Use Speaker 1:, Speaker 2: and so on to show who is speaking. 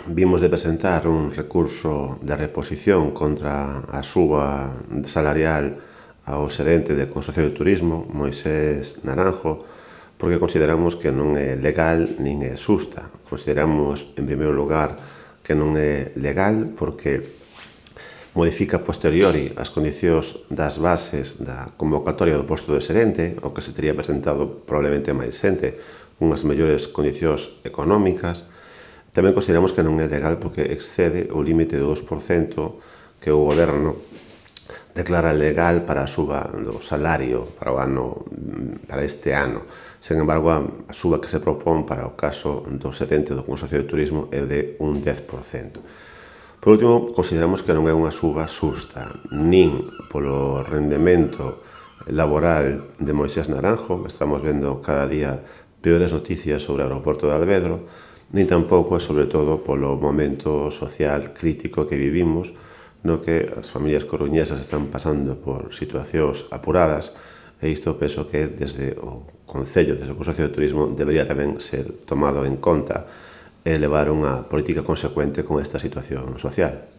Speaker 1: vimos de presentar un recurso de reposición contra a suba salarial ao xerente de Consorcio de Turismo, Moisés Naranjo, porque consideramos que non é legal nin é xusta. Consideramos, en primeiro lugar, que non é legal porque modifica a posteriori as condicións das bases da convocatoria do posto de xerente, o que se teria presentado probablemente máis xente, unhas mellores condicións económicas. Tamén consideramos que non é legal porque excede o límite do 2% que o Goberno declara legal para a suba do salario para este ano. Sen embargo, a suba que se propón para o caso do xerente do Consorcio de Turismo é de un 10%. Por último, consideramos que non é unha suba xusta, nin polo rendemento laboral de Moisés Naranjo, estamos vendo cada día peores noticias sobre o aeroporto de Alvedro, nin tampouco, e sobre todo, polo momento social crítico que vivimos, no que as familias coruñesas están pasando por situacións apuradas, e isto penso que desde o Concello, desde o Consorcio de Turismo, debería tamén ser tomado en conta e levar unha política consecuente con esta situación social.